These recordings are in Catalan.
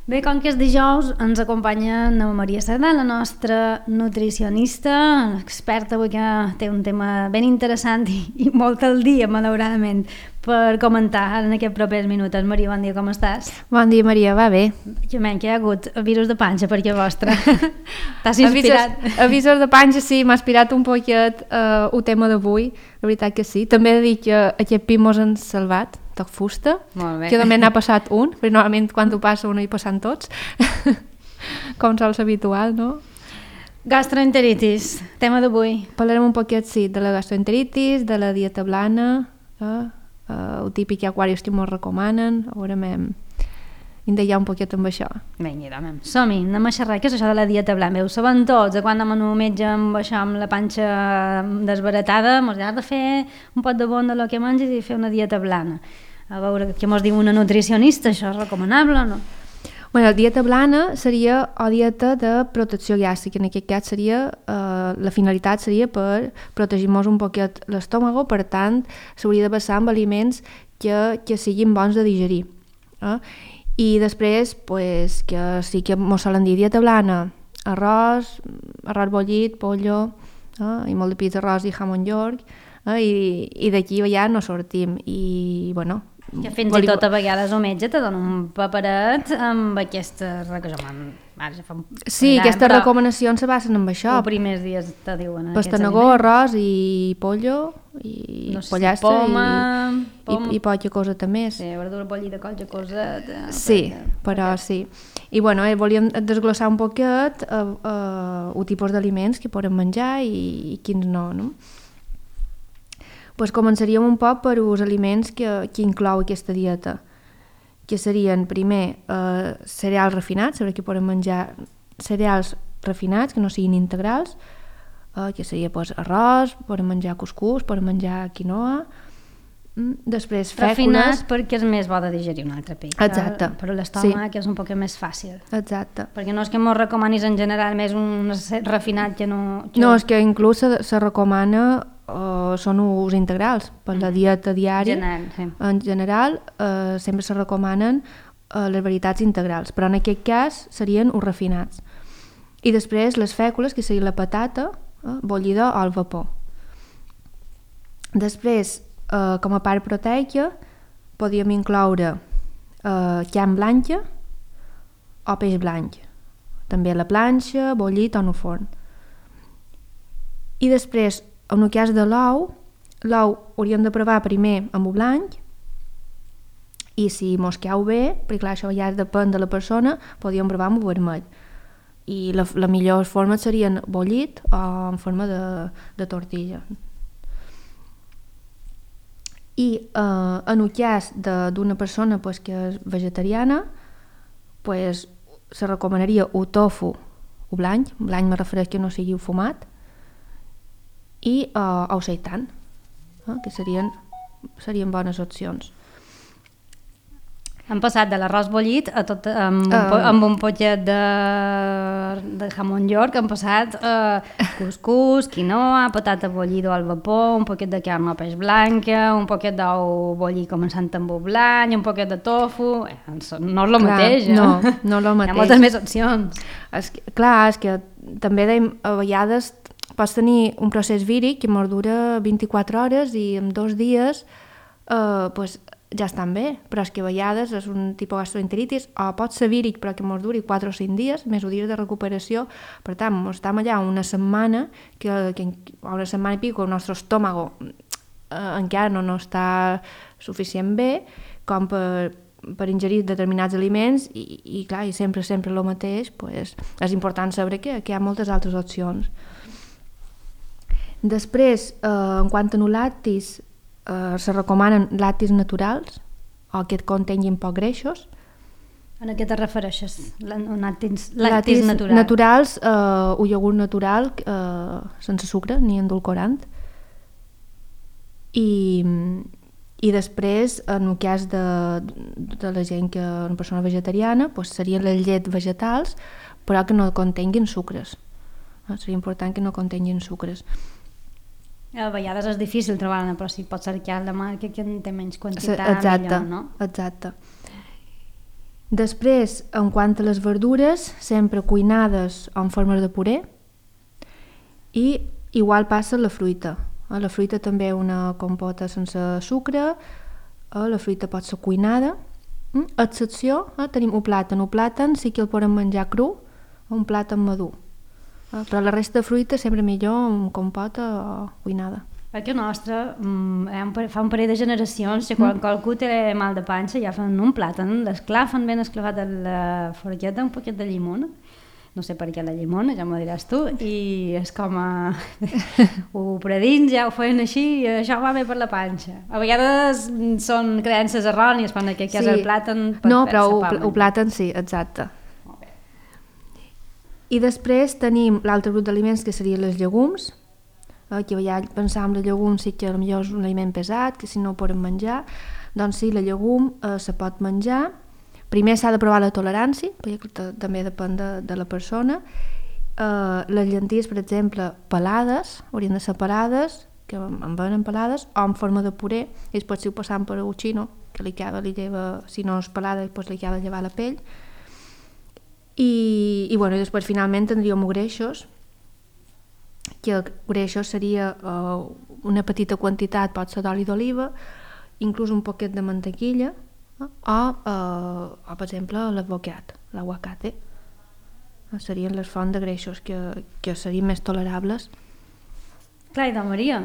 Bé, com que és dijous, ens acompanya la Maria Cerdà, la nostra nutricionista, experta avui que té un tema ben interessant i molt al dia, malauradament, per comentar en aquests propers minuts. Maria, bon dia, com estàs? Bon dia, Maria, va bé. Que hi ha hagut virus de panxa per aquí a vostra. T'has inspirat? Avisos de panxa, sí, m'ha inspirat un poquet el tema d'avui, la veritat que sí. També he de dir que aquest pi mos han salvat, toc fusta, que també n'ha passat un, perquè normalment quan ho passa un hi passen tots, com sols habitual, no? Gastroenteritis, tema d'avui. Parlarem un poquet, sí, de la gastroenteritis, de la dieta blana, el típic aquarius que ens recomanen, veurem, indagar un poquet amb això. Vinga, som-hi, anem a xerrar. Què és això de la dieta blana? Ho sabem tots, quan anem a un metge amb això, amb la panxa desbaratada, ens ha de fer un pot de bon de lo que menges i fer una dieta blana. A veure què ens diu una nutricionista, això és recomanable o no? Bueno, la dieta blana seria o dieta de protecció gàstrica, en aquest cas seria, la finalitat seria per protegir-nos un poquet l'estómago, per tant, s'hauria de basar en aliments que siguin bons de digerir. I després, pues, que sí que ens solen dir dieta blana, arròs bullit, pollo, i molt de pizza, arròs i jamón york, i d'aquí ja no sortim. I, bueno, que fins i tot a vegades el metge te dona un paperet amb aquestes sí, aquestes recomanacions se basen en això. Els primers dies te diuen pastanagó, arròs i pollo i no sé, pollastre i poca coseta més. Sí, verdura pollida, qualque coseta. Sí, però sí. I bueno, volíem desglossar un poquet el tipus d'aliments que podem menjar i quins no, no? Pues començaríem un poc per els aliments que inclou aquesta dieta, que serien, primer, cereals refinats, saber que podem menjar cereals refinats, que no siguin integrals, que seria pues, arròs, podem menjar cuscús, podem menjar quinoa, després fècules... Refinats perquè és més bo de digerir un altre pic. Exacte. Però l'estómac és un poc més fàcil. Exacte. Perquè no és que mos recomanis en general més un refinat que no... No, és que inclús se recomana són us integrals per la dieta diària. En general sempre se recomanen les varietats integrals, però en aquest cas serien us refinats. I després les fècules, que seria la patata bullida o al vapor. Després, com a part proteica, podríem incloure carn blanca o peix blanc, també a la planxa, bullit o en el forn. I després, en el cas de l'ou hauríem de provar primer amb el blanc i si mos cau bé, perquè clar, això ja depèn de la persona, podríem provar amb el vermell. I la millor forma serien bullit o en forma de tortilla. I en el cas d'una persona pues, que és vegetariana, pues, se recomanaria el tofu, el blanc me refereix que no sigui fumat, i el seitan, que serien bones opcions. Hem passat de l'arròs bullit a tot, amb un potet de jamón york, hem passat cuscús, quinoa, patata bullida al vapor, un poquet de carn o peix blanca, un poquet d'ou bullit començant amb el blanc, un poquet de tofu... No és el mateix, No és el mateix. Hi ha moltes més opcions. És que també a vegades pots tenir un procés víric que ens dura 24 hores i en 2 dies pues, ja estan bé, però és que a vegades és un tipus de gastroenteritis o pot ser víric però que ens duri 4 o 5 dies, més dies de recuperació. Per tant, estem allà una setmana una setmana i pico el nostre estómago encara no està suficient bé com per ingerir determinats aliments i clar, i sempre el mateix, pues, és important saber que hi ha moltes altres opcions. Després, en quant a lactis, se recomanen lactis naturals o que contenguin poc greixos. A què te refereixes? Lactis naturals, un iogurt natural sense sucre ni endulcorant. I després, en el cas de la gent que és una persona vegetariana, pues serien les llets vegetals, però que no contenguin sucres. Seria important que no contenguin sucres. A vegades és difícil trobar-la, però si pots cercar la marca que té menys quantitat, millor, no? Exacte. Després, en quant a les verdures, sempre cuinades o en formes de puré, i igual passa la fruita. La fruita també una compota sense sucre, la fruita pot ser cuinada. Excepció, tenim un plàtan sí que el podem menjar cru, un plàtan madur. Però la resta de fruita sempre millor amb compota o cuinada. Perquè el nostre fa un parell de generacions que quan qualcú té mal de panxa ja fan un plàtan, l'esclafen ben esclavat a la forqueta, un poquet de llimona, no sé per què la llimona, ja m'ho diràs tu, i és com ho predins, ja ho feien així i això va bé per la panxa. A vegades són creences errònies quan que és el plàtan per no, però el plàtan sí, exacte. I després tenim l'altre grup d'aliments que serien les llegums, que ja pensàvem les llegums sí que potser és un aliment pesat, que si no ho podem menjar, doncs sí, la llegum se pot menjar. Primer s'ha de provar la tolerància, perquè també depèn de la persona. Les llenties, per exemple, pelades, haurien de ser pelades, que en venen pelades, o en forma de puré, i després si ho passam per un xino, que li lleva, si no és pelada, doncs li acaba de llevar la pell. I després finalment tindríem greixos, que greixos seria una petita quantitat, pot ser d'oli d'oliva, inclús un poquet de mantequilla, o per exemple l'aguacate. Serien les fonts de greixos que serien més tolerables. Clar, i Maria,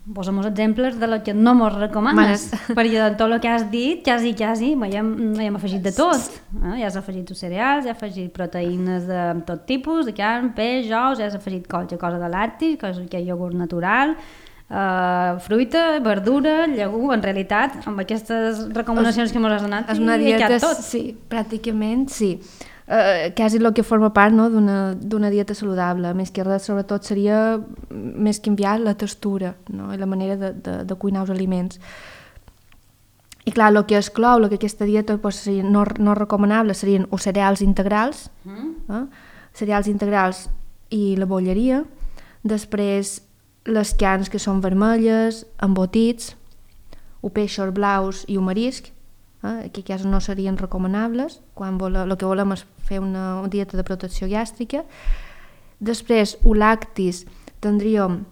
posa'm exemples de lo que no mos recomanes, perquè de tot el que has dit, quasi, hem afegit de tot. Ja has afegit cereals, ja has afegit proteïnes de tot tipus, de carn, peix, ous, ja has afegit qualque cosa de lactis, que és iogurt natural, fruita, verdura, llegum. En realitat, amb aquestes recomanacions que ens has donat, és una dieta, tot. Sí, pràcticament sí. Quasi el que forma part, no, d'una dieta saludable. Més que res, sobretot, seria més canviar la textura, no, i la manera de cuinar els aliments. I clar, el que exclou aquesta dieta no recomanable serien els cereals integrals, cereals integrals i la bolleria. Després, les carns que són vermelles, embotits, o peixos blaus i o marisc, que quasi no serien recomanables quan el que volem és fer una dieta de protecció gàstrica. Després, lactis, tindríem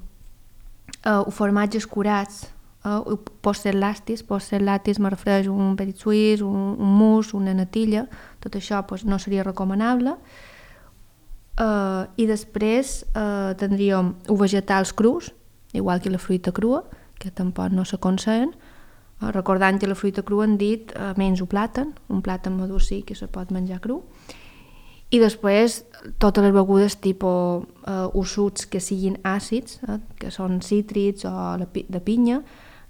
formatges curats, pot ser lactis, me refereix un petit suís, un mousse, una natilla, tot això no seria recomanable. I després tindríem vegetals crus, igual que la fruita crua, que tampoc no s'aconsellen. Recordant que la fruita crua han dit menys un plàtan madur sí que se pot menjar cru. I després totes les begudes tipus sucs que siguin àcids, que són cítrics o de pinya,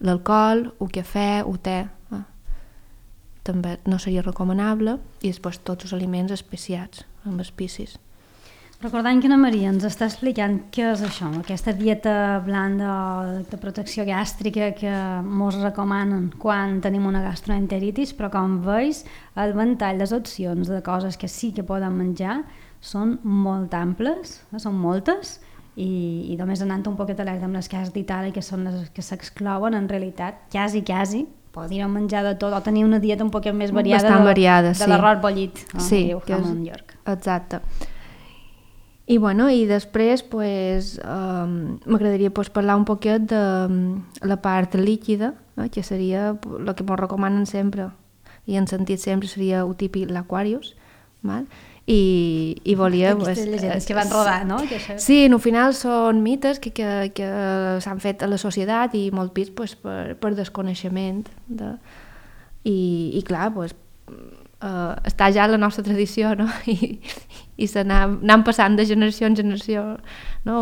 l'alcohol, el cafè, el te, també no seria recomanable. I després tots els aliments especiats amb espicis. Recordant que Maria ens està explicant què és això, aquesta dieta blanda de protecció gàstrica que ens recomanen quan tenim una gastroenteritis, però com veus, el ventall, les opcions de coses que sí que poden menjar són molt amples, són moltes, i només anant un poquet alerta amb les que has dit ara, que són les que s'exclouen, en realitat, quasi, podríem menjar de tot o tenir una dieta un poquet més variada de l'arròs bollit, sí, que diu Jamon York. Exacte. I després m'agradaria parlar un poquet de la part líquida, que seria el que ens recomanen sempre i en sentit sempre seria el típic l'Aquarius, i volia... Aquestes llegendes que van rodar, no? Sí, al final són mites que s'han fet a la societat i molt pis per desconeixement. I clar, està ja la nostra tradició, no? I s'anant passant de generació en generació, no?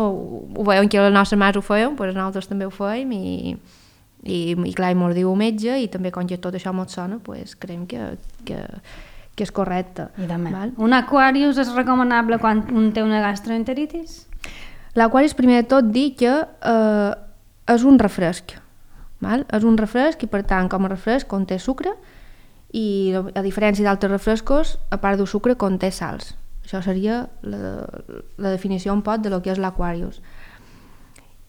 Ho veiem que les nostres mares ho feien, doncs nosaltres també ho fèiem i clar, mos diu el metge i també com que tot això mos sona, creiem que és correcte. Un Aquarius és recomanable quan un té una gastroenteritis? L'Aquarius, primer de tot, dir que és un refresc. És un refresc i, per tant, com a refresc conté sucre i, a diferència d'altres refrescos, a part del sucre conté sals. Això seria la definició un poc de lo que és l'Aquarius.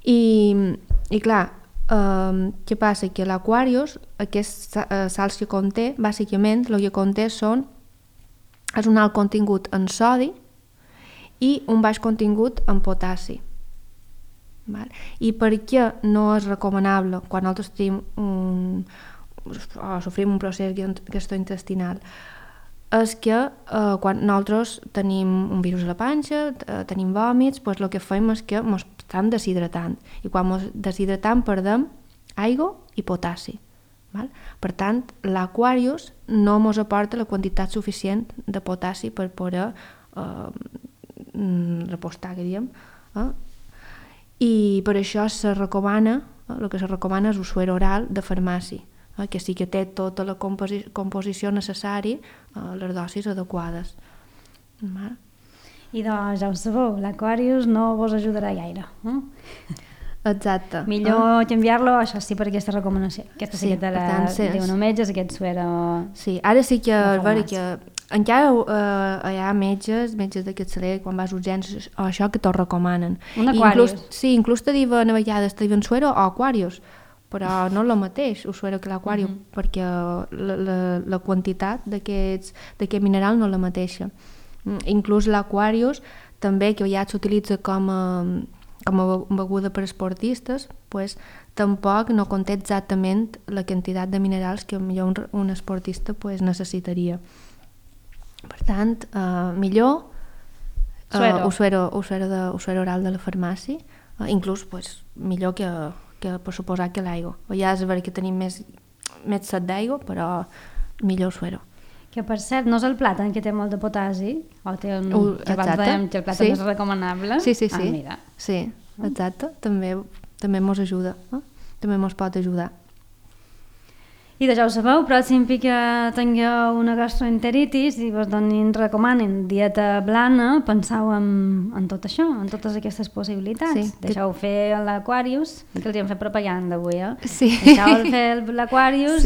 I clar, què passa? Que l'Aquarius, aquests sals que conté, bàsicament el que conté són és un alt contingut en sodi i un baix contingut en potassi. Val? I per què no és recomanable quan nosaltres tenim sofrim un procés gastrointestinal? És que quan nosaltres tenim un virus a la panxa, tenim vòmits, doncs el que fem és que ens estan deshidratant. I quan ens deshidratam perdem aigua i potassi. Val? Per tant, l'Aquarius no ens aporta la quantitat suficient de potassi per poder repostar, que diem. I per això se recomana, el que se recomana és un suero oral de farmàcia, que sí que té tota la composició necessària, les dosis adequades. I doncs ja ho sabeu, l'Aquarius no vos ajudarà gaire. Exacte. Millor canviar-lo, això sí, per aquesta recomanació. Aquesta sí que te la diuen els metges, aquest suero... Sí, ara sí que és vera que encara hi ha metges de capçalera, quan vas a urgències, això que t'ho recomanen. Un Aquarius. Sí, inclús te diuen a vegades, te diuen suero o Aquarius, però no és el mateix, el suero que l'Aquarius, perquè la quantitat d'aquest mineral no és la mateixa. Inclús l'Aquarius, també, que ja s'utilitza com a beguda per esportistes, pues, tampoc no conté exactament la quantitat de minerals que millor un esportista pues, necessitaria. Per tant, millor un suero oral de la farmàcia, inclús pues, millor que per suposar que l'aigua. Ja és vera que tenim més set d'aigua, però millor suero. Que per cert, no és el plàtan que té molt de potassi? O té un... que abans dèiem que el plàtan és recomanable? Sí. Mira. Sí, exacte. També mos ajuda. També mos pot ajudar. I ja ho sabeu, pròxim que tingueu una gastroenteritis i vos recomanen dieta blana, penseu en tot això, en totes aquestes possibilitats. Sí, deixeu fer l'Aquarius, que els hem fet propaganda avui, Sí. Deixeu fer l'Aquarius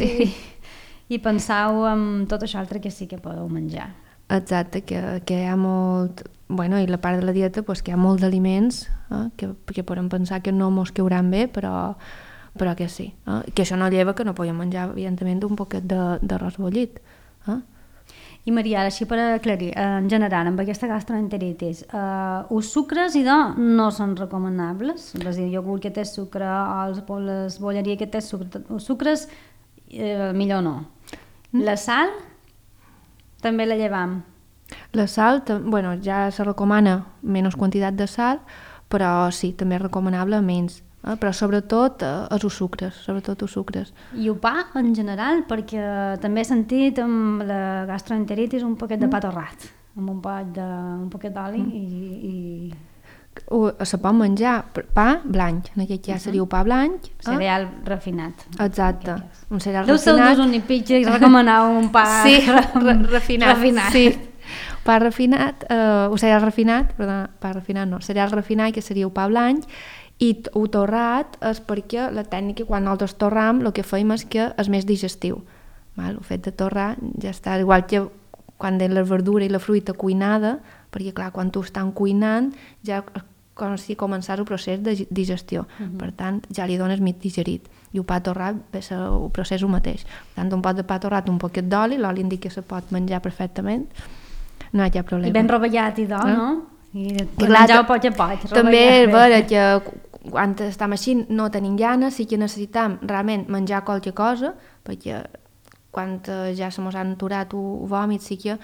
i penseu en tot això altre que sí que podeu menjar. Exacte, que hi ha molt... Bueno, i la part de la dieta, pues, que hi ha molt d'aliments que podem pensar que no mos queuran bé, però que sí. Que això no lleva que no podem menjar, evidentment, un poquet d'arròs bullit. I Maria, així per aclarir, en general, amb aquesta gastroenteritis, els sucres no són recomanables? És a dir, el iogurt que té sucre o les bolleries que té sucre, els sucres millor no. La sal també la llevam. La sal, bueno, ja se recomana menys quantitat de sal, però sí, també és recomanable menys. Però sobretot els sucres. I el pa, en general, perquè també he sentit amb la gastroenteritis un poquet de pa torrat, amb un poquet d'oli i... Se pot menjar pa blanc, en aquest cas seria pa blanc. Cereal refinat. Exacte, un cereal refinat. Deu ser un únic i recomanau un pa refinat. Sí, pa refinat, cereal refinat, perdona, pa refinat no, cereal refinat, que seria el pa blanc, i el torrat és perquè la tècnica, quan nosaltres torram, el que fem és que és més digestiu. El fet de torrar ja està, igual que quan de la verdura i la fruita cuinada, perquè clar, quan tu estàs cuinant ja com si començar el procés de digestió, per tant ja li dones mig digerit, i el pa torrat ve ser el procés el mateix. Per tant, un pot de pa torrat, un poquet d'oli, l'oli indica que se pot menjar perfectament, no hi ha problema. I ben rovellat no? I menjar poc a poc. També és vera que quan estem així no tenim gana, sí que necessitem realment menjar qualque cosa, perquè quan ja se mos han aturat el vòmit sí que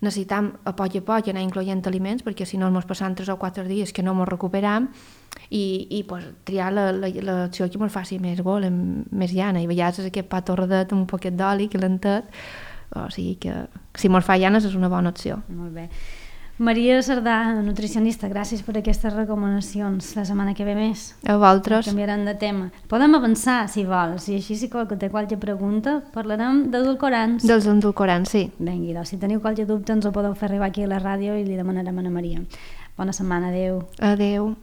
necessitem a poc anar incloent aliments, perquè si no ens passem 3 o 4 dies que no ens recuperam i pues, triar l'acció que ens faci més gol, més llana, i a vegades aquest pa torradet amb un poquet d'oli calentet, o sigui que si ens fa llanes és una bona opció. Molt bé. Maria Cerdà, nutricionista, gràcies per aquestes recomanacions. La setmana que ve més. A vosaltres. Canviarem de tema. Podem avançar, si vols, i així si qualque té qualque pregunta, parlarem d'edulcorants. Dels edulcorants, sí. Vinga, doncs, si teniu qualque dubte ens ho podeu fer arribar aquí a la ràdio i li demanarem a la Maria. Bona setmana, adeu. Adeu.